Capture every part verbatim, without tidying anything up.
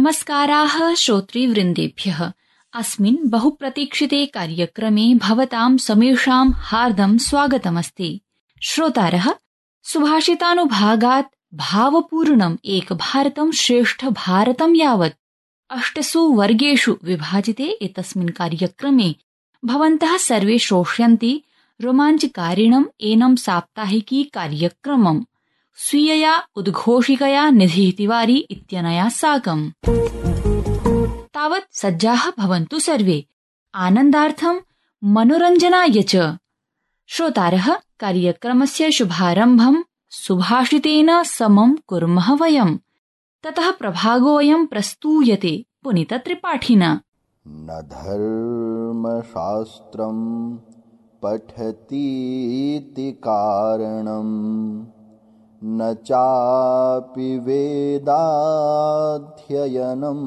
नमस्काराः श्रोतृवृन्देभ्यः। अस्मिन् बहुप्रतीक्षिते कार्यक्रमे भवतां समेषां हार्दं स्वागतमस्ति। श्रोतारः, सुभाषितानुभागात् भावपूर्णम् एक भारतं श्रेष्ठ भारतं यावत् अष्टसु वर्गेषु विभाजिते एतस्मिन् कार्यक्रमे भवन्तः सर्वे श्रोष्यन्ति रोमाञ्चकारिणम् एनं साप्ताहिकी कार्यक्रमम् स्वीयया उद्घोषिकया निधिः तिवारी इत्यनया साकम्। तावत् सज्जाः भवन्तु सर्वे आनन्दार्थं मनोरञ्जनाय च। श्रोतारः, कार्यक्रमस्य शुभारम्भं सुभाषितेन समं कुर्मः वयम्। ततः प्रभागोऽयं प्रस्तूयते पुनीतत्रिपाठिना। न धर्मशास्त्रं पठतीति कारणम् न चापि वेदाध्ययनं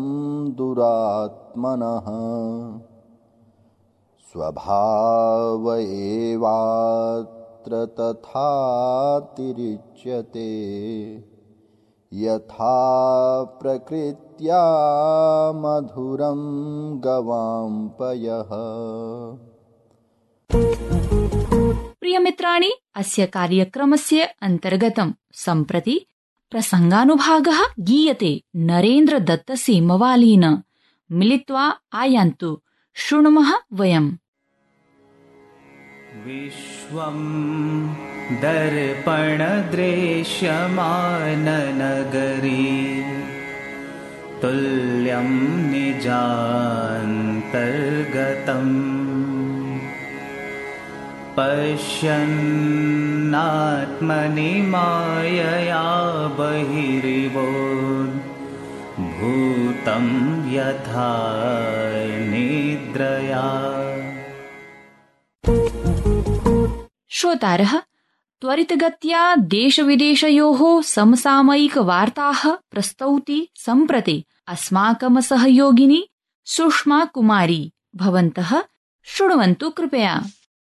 दुरात्मनः स्वभाव एवात्र तथातिरिच्यते यथा प्रकृत्या मधुरं गवाम्पयः। प्रियमित्राणि, अस्य कार्यक्रमस्य अन्तर्गतं सम्प्रति प्रसङ्गानुभागः गीयते नरेन्द्र दत्त सेमवालेन। मिलित्वा आयान्तु, शृणुमः वयम्। विश्वं दर्पणदृश्यमाननगरी तुल्यं निजान्तर्गतम् पश्यन्नात्मनि मायया बहिरिवोद् भूतं यथा निद्रया। श्रोतारः, त्वरितगत्या देशविदेशयोः समसामयिकवार्ताः प्रस्तौति सम्प्रति अस्माकं सहयोगिनी सुषमा कुमारी। भवन्तः शृण्वन्तु कृपया।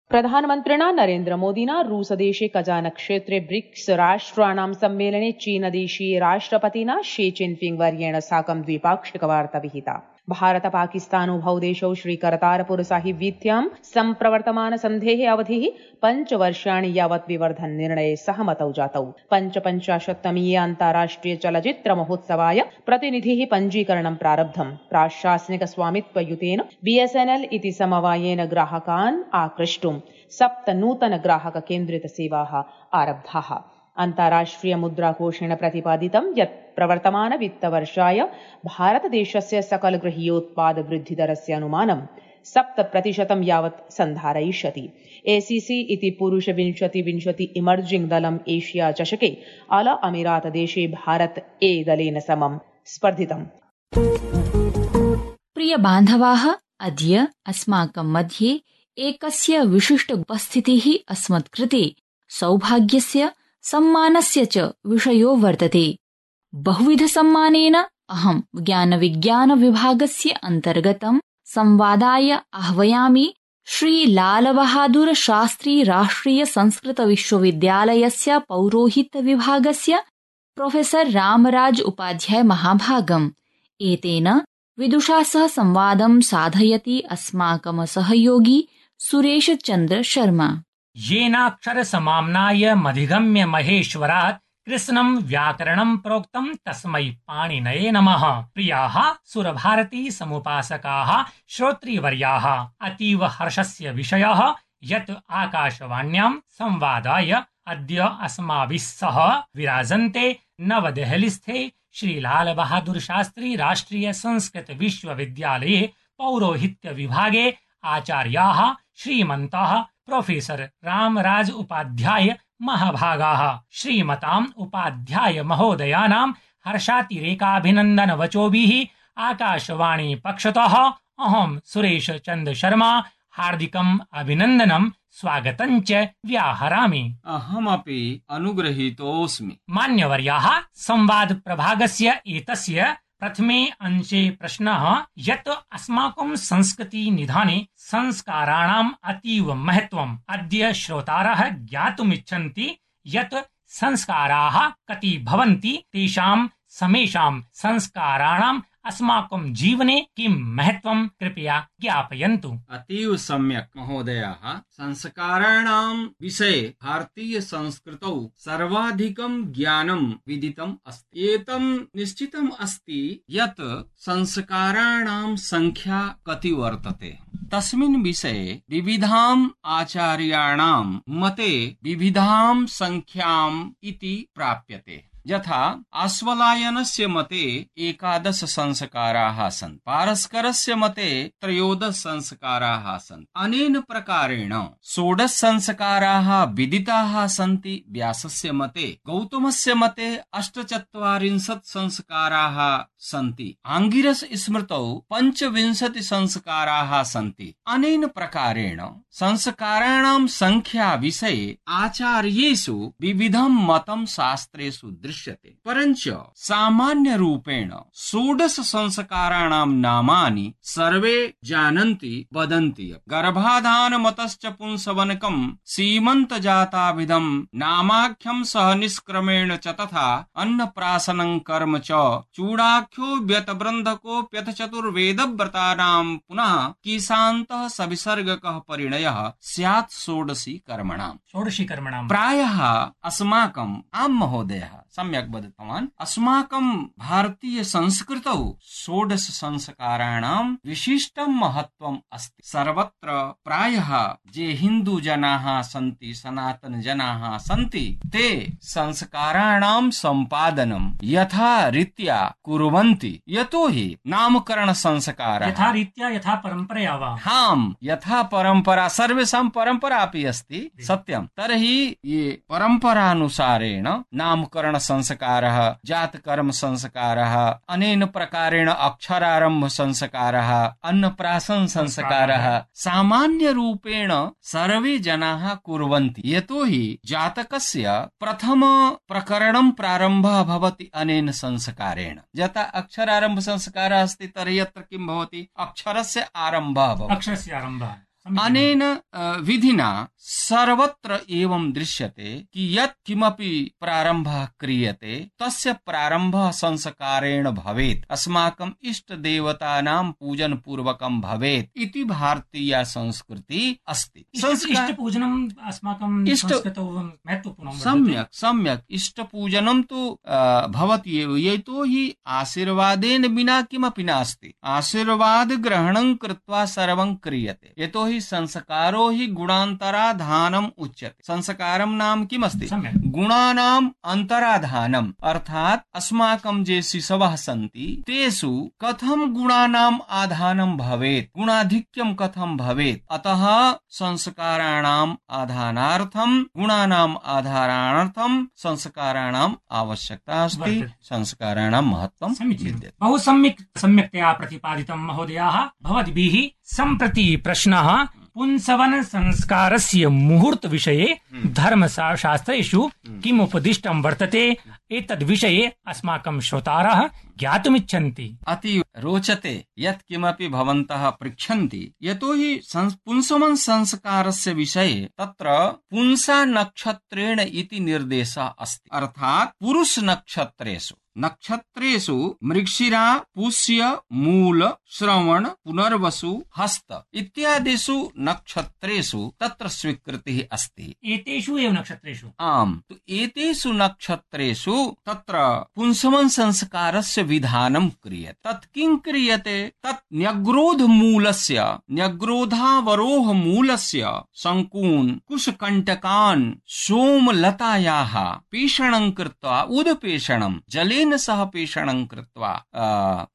प्रधानमन्त्रिणा नरेन्द्र मोदिना रूसदेशे कजान क्षेत्रे ब्रिक्स राष्ट्राणां सम्मेलने चीनदेशीय राष्ट्रपतिना शी जिनपिंग वर्येण साकं द्विपाक्षिकवार्ता विहिता। भारत पाकिस्तानोभौ देशौ श्रीकरतारपुर साहिब वीथ्यां सम्प्रवर्तमान सन्धेः अवधिः पञ्चवर्षाणि यावत् विवर्धन निर्णये सहमतौ जातौ। पञ्चपञ्चाशत्तमीये अन्ताराष्ट्रिय चलच्चित्र महोत्सवाय प्रतिनिधिः पञ्जीकरणं प्रारब्धम्। प्राशासनिक स्वामित्वयुतेन बीएसएनएल इति समवायेन ग्राहकान् आकृष्टुं सप्त नूतन ग्राहक केन्द्रित सेवाः आरब्धाः। अन्ताराष्ट्रिय मुद्राकोषेण प्रतिपादितं यत् प्रवर्तमान वित्तवर्षाय भारतदेशस्य सकल गृहीयोत्पाद वृद्धिदरस्य अनुमानं सप्त प्रतिशतं यावत् सन्धारयिष्यति। एसीसी इति पुरुष विंशति विंशति इमर्जिंग दलम् एशिया चषके अल अमीरात देशे भारत ए दलेन समं स्पर्धितम्। प्रिय बान्धवाः, अद्य अस्माकं मध्ये एकस्य विशिष्ट उपस्थितिः अस्मत्कृते सौभाग्यस्य सम्मानस्य च विषयो वर्तते। बहुविधसम्मानेन अहं ज्ञानविज्ञानविभागस्य अन्तर्गतं संवादाय आह्वयामि श्री लालबहादुर शास्त्री राष्ट्रिय संस्कृत विश्वविद्यालयस्य पौरोहित्यविभागस्य प्रोफेसर रामराज उपाध्याय महाभागम्। एतेन विदुषा सह संवादं साधयति अस्माकं सहयोगी सुरेश चन्द्र शर्मा। येनाक्षर समाम्नाय मधिगम्य महेश्वरात् कृष्णं व्याकरणं प्रोक्तं तस्मै पाणिनये नमः। प्रियाः सुरभारती समुपासकाः श्रोतृवर्याः, अतीव हर्षस्य विषयः यत् आकाशवाण्यां संवादाय अद्य अस्माभिः सह विराजन्ते नवदेहलीस्थे श्री लाल बहादुर शास्त्री राष्ट्रिय संस्कृत विश्वविद्यालये पौरोहित्य विभागे आचार्याः श्रीमन्तः प्रोफेसर रामराज उपाध्याय महाभागाः। श्रीमताम् उपाध्याय महोदयानां हर्षातिरेकाभिनन्दन वचोभिः आकाशवाणी पक्षतः अहं सुरेश चन्द्र शर्मा हार्दिकम् अभिनन्दनं स्वागतं च व्याहरामि। अहमपि अनुगृहीतोऽस्मि। मान्यवर्याः, संवाद प्रभागस्य एतस्य प्रथमे अंशे प्रश्नः यत् अस्माकं संस्कृति निधाने संस्काराणाम् अतीव महत्वम्। अद्य श्रोतारः ज्ञातुमिच्छन्ति यत् संस्काराः कति भवन्ति, तेषां समेषां संस्काराणाम् अस्माकं जीवने किं महत्वं कृपया ज्ञापयन्तु। अतीव सम्यक् महोदयाः। संस्काराणां विषये भारतीय संस्कृतौ सर्वाधिकं ज्ञानं विदितम् अस्ति। एतं निश्चितम् अस्ति यत् संस्काराणां संख्या कति वर्तते। तस्मिन् विषये विविधाम् आचार्याणां मते विविधां संख्याम् इति प्राप्यते। यथा आश्वलायनस्य मते एकादश संस्काराः सन्ति, पारस्करस्य मते त्रयोदश संस्काराः सन्ति। अनेन प्रकारेण षोडश संस्काराः विदिताः सन्ति व्यासस्य मते। गौतमस्य मते अष्टचत्वारिंशत् संस्काराः सन्ति। आङ्गिरस स्मृतौ पञ्चविंशति संस्काराः सन्ति। अनेन प्रकारेण संस्काराणां संख्या विषये आचार्येषु विविधं मतं शास्त्रेषु दृश्यते। परञ्च सामान्य रूपेण षोडश संस्काराणां नामानि सर्वे जानन्ति वदन्ति। गर्भाधान मतश्च पुंसवनकं सीमन्त जाताभिधं नामाख्यं सह निष्क्रमेण च तथा अन्नप्राशनं कर्म च चूडाख्यो व्यतबृन्धकोऽप्यथ चतुर्वेदव्रतानां पुनः किशान्तः सविसर्गकः परिणयः स्यात् षोडशी कर्मणाम्। षोडशी कर्मणाम् प्रायः अस्माकम् आम् महोदयः सम्यक् वदितवान्। अस्माकं भारतीय संस्कृतौ षोडश संस्काराणां विशिष्टं महत्वम् अस्ति। सर्वत्र प्रायः ये हिन्दू जनाः सन्ति, सनातन जनाः सन्ति, ते संस्काराणां सम्पादनं यथा रीत्या कुर्वन्ति। यतोहि नामकरण संस्कारः यथा रीत्या यथा परम्परया वा हाम् यथा परम्परा सर्वेषां परम्परा अपि अस्ति सत्यं। तर्हि ये परम्परानुसारेण नामकरण संस्कारः, जातकर्म संस्कारः, अनेन प्रकारेण अक्षरारम्भ संस्कारः, अन्नप्राशन संस्कारः सामान्य रूपेण सर्वे जनाः कुर्वन्ति। यतोहि जातकस्य प्रथम प्रकरणं प्रारम्भः भवति अनेन संस्कारेण। यथा अक्षरारम्भ संस्कारः अस्ति तर्हि यत्र किं भवति, अक्षरस्य आरम्भः भवति। अक्षरस्य आरम्भः अनेन विधिना सर्वत्र एवं दृश्यते कि यत् किमपि प्रारम्भः क्रियते तस्य प्रारम्भः संस्कारेण भवेत्, अस्माकम् इष्ट देवतानां पूजन पूर्वकं भवेत् इति भारतीय संस्कृति अस्ति। इष्ट पूजनम् अस्माकं संस्कृतौ महत्वपूर्णं वर्तते। सम्यक् सम्यक् इष्ट पूजनं तु भवति एव। यतोहि आशीर्वादेन विना किमपि नास्ति। आशीर्वाद ग्रहणं कृत्वा सर्वं क्रियते। यतोहि संस्कारो हि गुणान्तराधानम् उच्यते। संस्कारं नाम किमस्ति? गुणानाम् अन्तराधानम्। अर्थात् अस्माकं ये शिशवः सन्ति तेषु कथं गुणानाम् आधानं भवेत्, गुणाधिक्यं कथं भवेत्। अतः संस्काराणाम् आधानार्थं, गुणानाम् आधारार्थं संस्काराणाम् आवश्यकता अस्ति। संस्काराणां महत्त्वं विद्यते। बहु सम्यक् सम्यक्तया प्रतिपादितं महोदयाः। भवद्भिः सम्प्रति प्रश्नः पुंसवन संस्कारस्य मुहूर्त विषये धर्मशास्त्रेषु किम् उपदिष्टं वर्तते, एतद् विषये अस्माकं श्रोतारः ज्ञातुमिच्छन्ति। अति रोचते यत् किमपि भवन्तः पृच्छन्ति। यतोहि पुंसवन संस्कारस्य विषये तत्र पुंसा नक्षत्रेण इति निर्देशः अस्ति। अर्थात् पुरुष नक्षत्रेषु नक्षत्रेषु मृगशिरा, पुष्य, मूल, श्रवण, पुनर्वसु, हस्त इत्यादिषु नक्षत्रेषु तत्र स्वीकृतिः अस्ति। एतेषु एव नक्षत्रेषु आम् तु एतेषु नक्षत्रेषु तत्र पुंसवन संस्कारस्य विधानं क्रियते। तत् किं क्रियते? तत् न्यग्रोध मूलस्य न्यग्रोधावरोह मूलस्य शङ्कून् कुशकण्टकान् सोमलतायाः पेषणं कृत्वा उदपेषणं जले सह पेषणं कृत्वा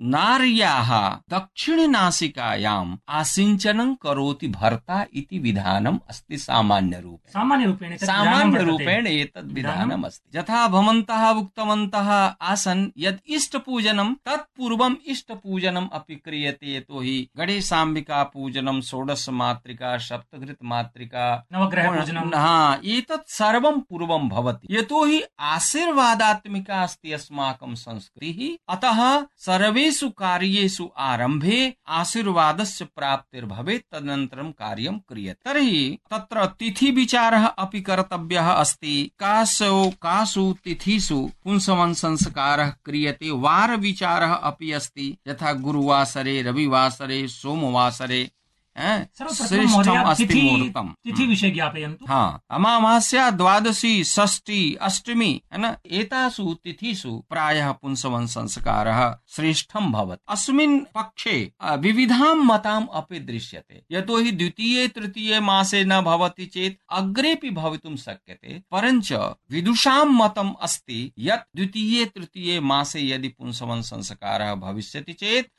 नार्याः दक्षिणनासिकायाम् आसिञ्चनं करोति भर्ता इति विधानम् अस्ति। सामान्य रूपेण सामान्य रूपेण सामान्य रूपेण एतद् विधानम् अस्ति। यथा भवन्तः उक्तवन्तः आसन् यद् इष्ट पूजनं तत् पूर्वम् इष्ट पूजनम् अपि क्रियते। यतोहि गणेशाम्बिका पूजनं, षोडश मातृका, सप्तघृत मातृका, नवग्रह पूजनं, हा एतत् सर्वं पूर्वं भवति। यतोहि आशीर्वादात्मिका अस्ति अस्माकं अस्माकं संस्कृतिः। अतः सर्वेषु कार्येषु आरम्भे आशीर्वादस्य प्राप्तिर्भवेत्, तदनन्तरं कार्यं क्रियते। तर्हि तत्र तिथिविचारः अपि कर्तव्यः अस्ति। कासु कासु तिथिषु पुंसवन संस्कारः क्रियते, वारविचारः अपि अस्ति। यथा गुरुवासरे, रविवासरे, सोमवासरे श्रेष्ठम् अस्ति मुहूर्तम्। तिथि विषये ज्ञापयन्तु। हाँ, अमावास्या, द्वादशी, षष्ठी, अष्टमी है न, एतासु तिथिषु प्रायः पुंसवन संस्कारः श्रेष्ठं भवति। अस्मिन् पक्षे विविधां मताम् अपि दृश्यते। यतोहि द्वितीये तृतीये मासे न भवति चेत् अग्रेपि भवितुं शक्यते, परञ्च विदुषां मतम् अस्ति यत् द्वितीये तृतीये मासे यदि पुंसवन संस्कारः भविष्यति चेत्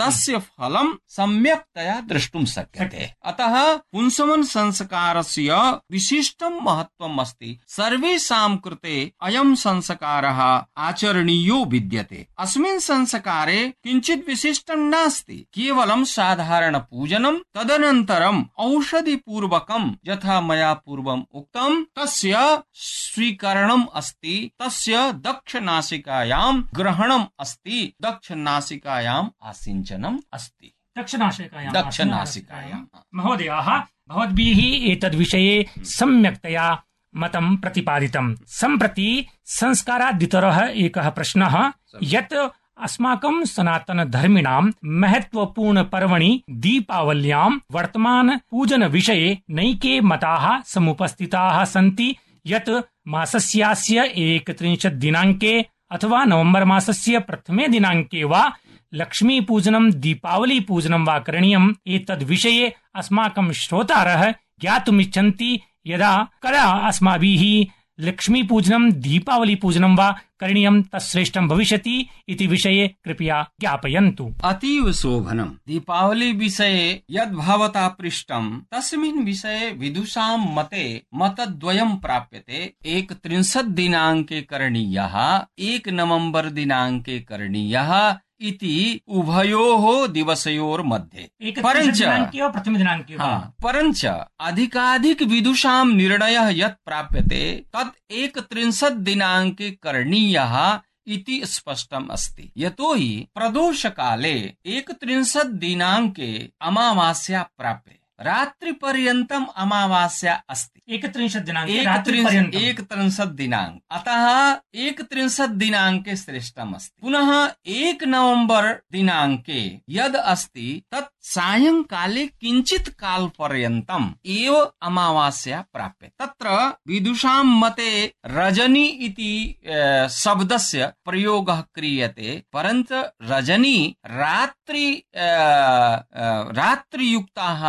तस्य फलं सम्यक्तया दृष्टुं शक्यते। अतः पुंसवन संस्कारस्य विशिष्टं महत्त्वम् अस्ति। सर्वेषां कृते अयं संस्कारः आचरणीयो विद्यते। अस्मिन् संस्कारे किञ्चित् विशिष्टं नास्ति, केवलं साधारण पूजनं, तदनन्तरम् औषधिपूर्वकं यथा मया पूर्वम् उक्तं तस्य स्वीकरणम् अस्ति, तस्य दक्षनासिकायां ग्रहणम् अस्ति, दक्षनासिकायाम् आसिञ्चनम् अस्ति। दक्षनासिकायां दक्षनासिकायां महोदयाः, भवद्भिः एतद्विषये सम्यक्तया मतं प्रतिपादितं। सम्प्रति संस्कारादितरः एकः प्रश्नः यत् अस्माकं सनातनधर्मिणां महत्वपूर्ण पर्वणि दीपावल्यां वर्तमान पूजन विषये नैके मताः समुपस्थिताः सन्ति यत् मासस्यास्य एकत्रिंशत् दिनाङ्के अथवा नवम्बर मासस्य प्रथमे दिनाङ्के वा लक्ष्मी पूजनं दीपावली पूजनं वा करणीयम्। एतद् विषये अस्माकं श्रोतारः ज्ञातुमिच्छन्ति यदा कदा अस्माभिः लक्ष्मी पूजनं दीपावली पूजनं वा करणीयं तत्श्रेष्ठं भविष्यति इति विषये कृपया ज्ञापयन्तु। अतीव शोभनम्। दीपावली विषये यद् भवता पृष्टम् तस्मिन् विषये विदुषां मते मतद्वयं प्राप्यते। एकत्रिंशत् दिनाङ्के करणीयः, एक नवम्बर दिनाङ्के करणीयः इति उभयोः दिवसयोर्मध्ये। परञ्च प्रथम दिनाङ्के परञ्च अधिकाधिक विदुषां निर्णयः यत् प्राप्यते तत् एकत्रिंशत् दिनाङ्के करणीयः इति स्पष्टम् अस्ति। यतोहि प्रदोषकाले एकत्रिंशत् दिनाङ्के अमावास्या प्राप्यते, रात्रिपर्यन्तम् अमावास्या अस्ति। एकत्रिंशत् दिनाङ्के एकत्रिंशत् दिनाङ्क, अतः एकत्रिंशत् दिनाङ्के श्रेष्ठम् अस्ति। पुनः एक नवम्बर दिनाङ्के यद् अस्ति तत् सायंकाले किञ्चित् काल पर्यन्तम् एव अमावास्या प्राप्यते। तत्र विदुषां मते रजनी इति शब्दस्य प्रयोगः क्रियते, परन्तु रजनी रात्रि रात्रियुक्ताः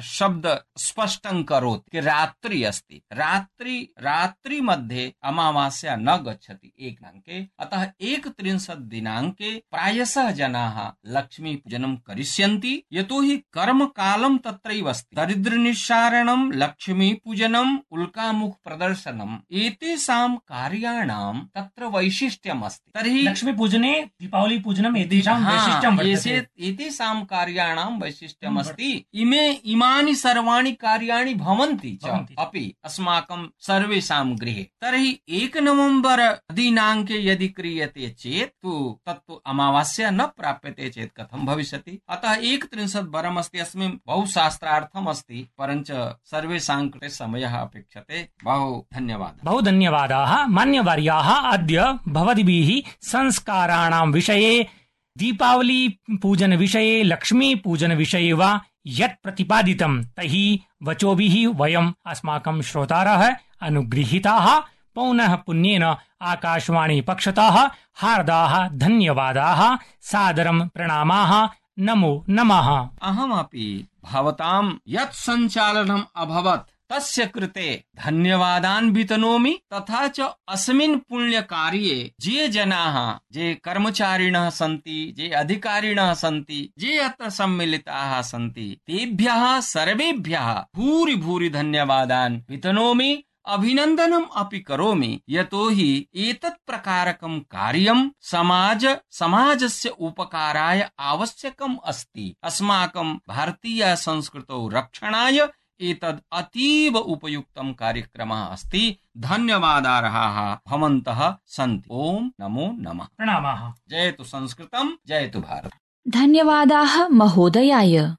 शब्द स्पष्टं करोति कि रात्रि अस्ति। रात्रि रात्रि मध्ये अमावास्या न गच्छति एक दिनाङ्के। अतः एकत्रिंशत् दिनाङ्के प्रायशः जनाः लक्ष्मी पूजनं करिष्यन्ति, यतोहि कर्म कालं तत्रैव अस्ति। दरिद्र निस्सारणं, लक्ष्मी पूजनम्, उल्कामुख प्रदर्शनम्, एतेषां कार्याणां तत्र वैशिष्ट्यम् अस्ति। तर्हि लक्ष्मी पूजने दीपावली पूजनम् एतेषां वैशिष्ट्यं वर्तते। एतेषां कार्याणां वैशिष्ट्यम् अस्ति। इमे इमानि सर्वाणि कार्याणि भवन्ति च अपि अस्माकं सर्वेषां गृहे। तर्हि एक नवम्बर दिनाङ्के यदि क्रियते चेत् तु तत्तु अमावास्या न प्राप्यते चेत् कथं भविष्यति। अतः एकत्रिंशत् वरमस्ति। अस्मिन् बहु शास्त्रार्थम् अस्ति, परञ्च सर्वेषां कृते समयः अपेक्षते। बहु धन्यवादः। बहु धन्यवादाः मान्यवर्याः। अद्य भवद्भिः संस्काराणां विषये, दीपावली पूजन विषये, लक्ष्मी पूजन विषये वा यत् प्रतिपादितं तैः वचोभिः वयम् अस्माकं श्रोतारः अनुगृहीताः। पौनः पुण्येन आकाशवाणी पक्षतः हार्दाः धन्यवादाः, सादरं प्रणामाः, नमो नमः। अहमपि भवतां यत् सञ्चालनम् अभवत् तस्य कृते धन्यवादान् वितनोमि। तथा च अस्मिन् पुण्यकार्ये ये जनाः, ये कर्मचारिणः सन्ति, ये अधिकारिणः सन्ति, ये अत्र सम्मिलिताः सन्ति, तेभ्यः सर्वेभ्यः भूरि भूरि धन्यवादान् वितनोमि, अभिनन्दनम् अपि करोमि। यतोहि एतत् प्रकारकं कार्यं समाज समाजस्य उपकाराय आवश्यकम् अस्ति। अस्माकं भारतीय संस्कृतौ रक्षणाय एतद् अतीव उपयुक्तं कार्यक्रमः अस्ति। धन्यवादाः भवन्तः सन्ति। ओम नमो नमः। प्रणामाः। जयतु संस्कृतं, जयतु भारत। धन्यवादाः महोदयाय।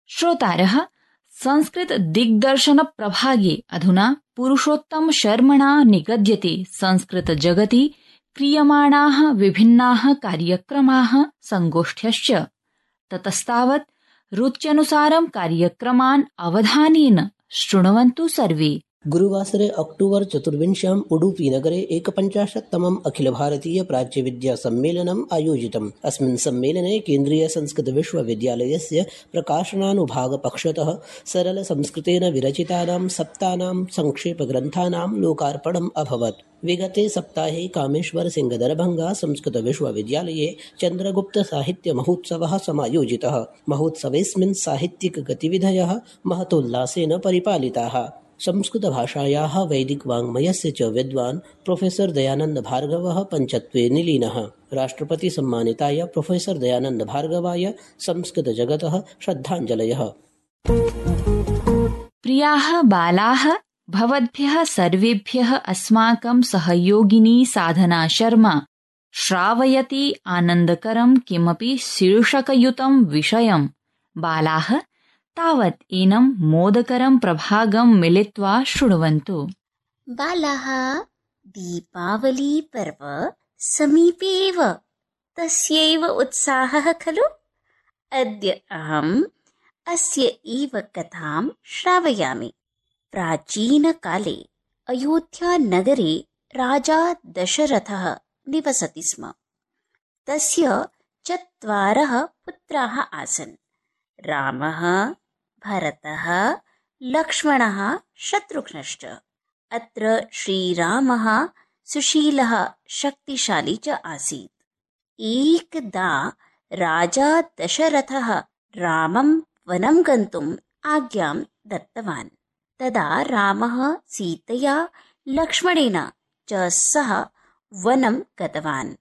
श्रोतारः, संस्कृत दिग्दर्शन प्रभागे अधुना पुरुषोत्तम शर्मणा निगद्यते संस्कृत जगति क्रियमाणाः विभिन्नाः कार्यक्रमाः संगोष्ठ्यश्च। ततस्तावत् रुच्यनुसारं कार्यक्रमान् अवधानेन शृण्वन्तु सर्वे। गुरुवासरे अक्टोबर् चतुर्विंश्याम् उडुपीनगरे एकपञ्चाशत्तमम् अखिलभारतीयप्राच्यविद्यासम्मेलनम् आयोजितम्। अस्मिन् सम्मेलने केन्द्रीयसंस्कृतविश्वविद्यालयस्य प्रकाशनानुभागपक्षतः सरलसंस्कृतेन विरचितानां सप्तानां संक्षेपग्रन्थानां लोकार्पणम् अभवत्। विगते सप्ताहे कामेश्वरसिंहदरभङ्गा संस्कृतविश्वविद्यालये चन्द्रगुप्तसाहित्यमहोत्सवः समायोजितः। महोत्सवेऽस्मिन् साहित्यिकगतिविधयः महतोल्लासेन परिपालिताः। संस्कृतभाषायाः वैदिकवाङ्मयस्य च विद्वान् प्रोफेसर् दयानन्द भार्गवः पञ्चत्वे निलीनः। राष्ट्रपतिसम्मानिताय प्रोफेसर् दयानन्द भार्गवाय संस्कृतजगतः श्रद्धाञ्जलयः। प्रियाः बालाः, भवद्भ्यः सर्वेभ्यः अस्माकं सहयोगिनी साधना शर्मा श्रावयति आनन्दकरं किमपि शीर्षकयुतं विषयम्। बालाः तावत् एनं मोदकरं प्रभागं मिलित्वा शृण्वन्तु। बालाः, दीपावली पर्व समीपे एव, तस्यैव उत्साहः खलु? अद्य अहम् अस्य एव कथां श्रावयामि। प्राचीनकाले अयोध्यानगरे राजा दशरथः निवसति स्म। तस्य चत्वारः पुत्राः आसन्। रामः, भरतः, लक्ष्मणः, शत्रुघ्नश्च। अत्र श्रीरामः सुशीलः, शक्तिशाली च आसीत्। एकदा राजा दशरथः रामं वनं गन्तुम् आज्ञां दत्तवान्। तदा रामः सीतया लक्ष्मणेन च सह वनं गतवान्।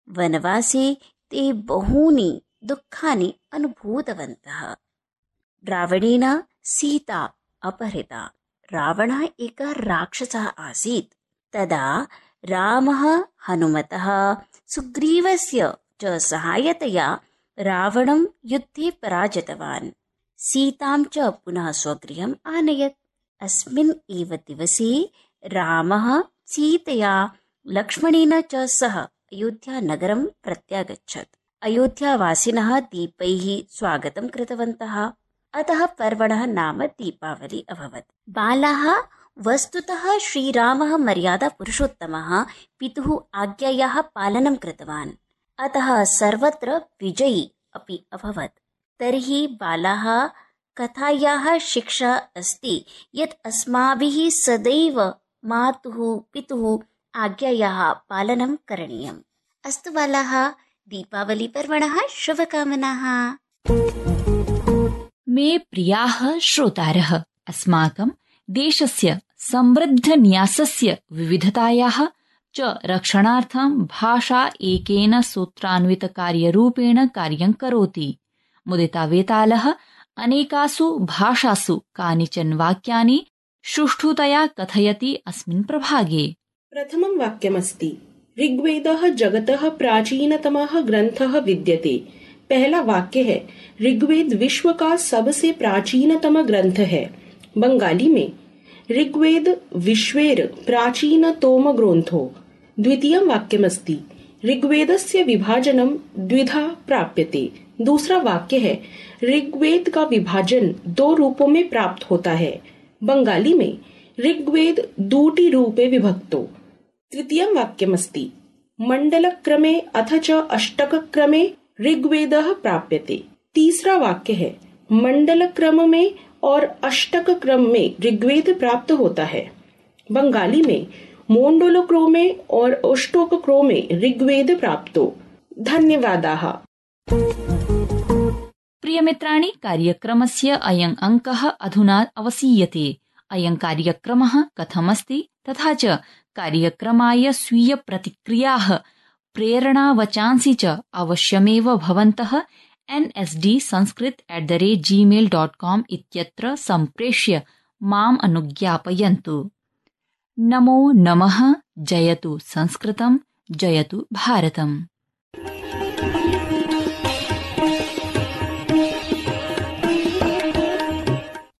वनवासे ते बहूनि दुःखानि अनुभूतवन्तः। रावणेन सीता अपहृता। रावणः एकः राक्षसः आसीत्। तदा रामः हनुमतः सुग्रीवस्य च सहायतया रावणं युद्धे पराजितवान्। सीतां च पुनः स्वगृहम् आनयत्। अस्मिन् एव दिवसे रामः सीतया लक्ष्मणेन च सह अयोध्यानगरं प्रत्यागच्छत्। अयोध्यावासिनः दीपैः स्वागतं कृतवन्तः। अतः पर्वणः नाम दीपावली अभवत्। बालाः, वस्तुतः श्रीरामः मर्यादापुरुषोत्तमः पितुः आज्ञायाः पालनं कृतवान्। अतः सर्वत्र विजयी अपि अभवत्। तर्हि बालाः, कथायाः शिक्षा अस्ति यत् अस्माभिः सदैव मातुः पितुः आज्ञायाः पालनं करणीयम्। अस्तु बालाः, दीपावली पर्वणः शुभकामनाः। मे प्रियाः श्रोतारः, अस्माकं देशस्य समृद्धन्यासस्य विविधतायाः च रक्षणार्थं भाषा एकेन सूत्रान्वितकार्यरूपेण कार्यं करोति। मुदितावेतालः अनेकासु भाषासु कानिचन वाक्यानि सुष्ठुतया कथयति अस्मिन् प्रभागे। प्रथमं वाक्यमस्ति, ऋग्वेदः जगतः प्राचीनतमः ग्रंथः विद्यते। पहला वाक्य है, ऋग्वेद विश्व का सबसे प्राचीनतम ग्रंथ है। बंगाली में ऋग्वेद विश्वेर प्राचीनतम ग्रंथो। द्वितीयं वाक्यमस्ति, ऋग्वेदस्य विभाजनं द्विधा प्राप्यते। दूसरा वाक्य है, ऋग्वेद का विभाजन दो रूपों में प्राप्त होता है। बंगाली में ऋग्वेद दूटी रूपे विभक्तो। तृतीयं वाक्यमस्ति, मंडलक्रमे अथ च अष्टकक्रमे ऋग्वेदः प्राप्यते। तीसरा वाक्य है, मंडल क्रम में और अष्टक क्रम में ऋग्वेद प्राप्त होता है। बंगाली में मोण्डोलक्रोमे और अष्टोकक्रोमे ऋग्वेद प्राप्तो। धन्यवादाः। प्रियमित्राणि, कार्यक्रमस्य अयं अंकः अधुना अवसीयते। अयं कार्यक्रमः कथमस्ति तथा च कार्यक्रमाय स्वीय प्रतिक्रियाः, प्रेरणावचांसि च अवश्यमेव भवन्तः N S D Sanskrit at the rate Gmail dot com इत्यत्र सम्प्रेष्य माम् अनुज्ञापयन्तु। नमो नमः। जयतु संस्कृतं, जयतु भारतम्।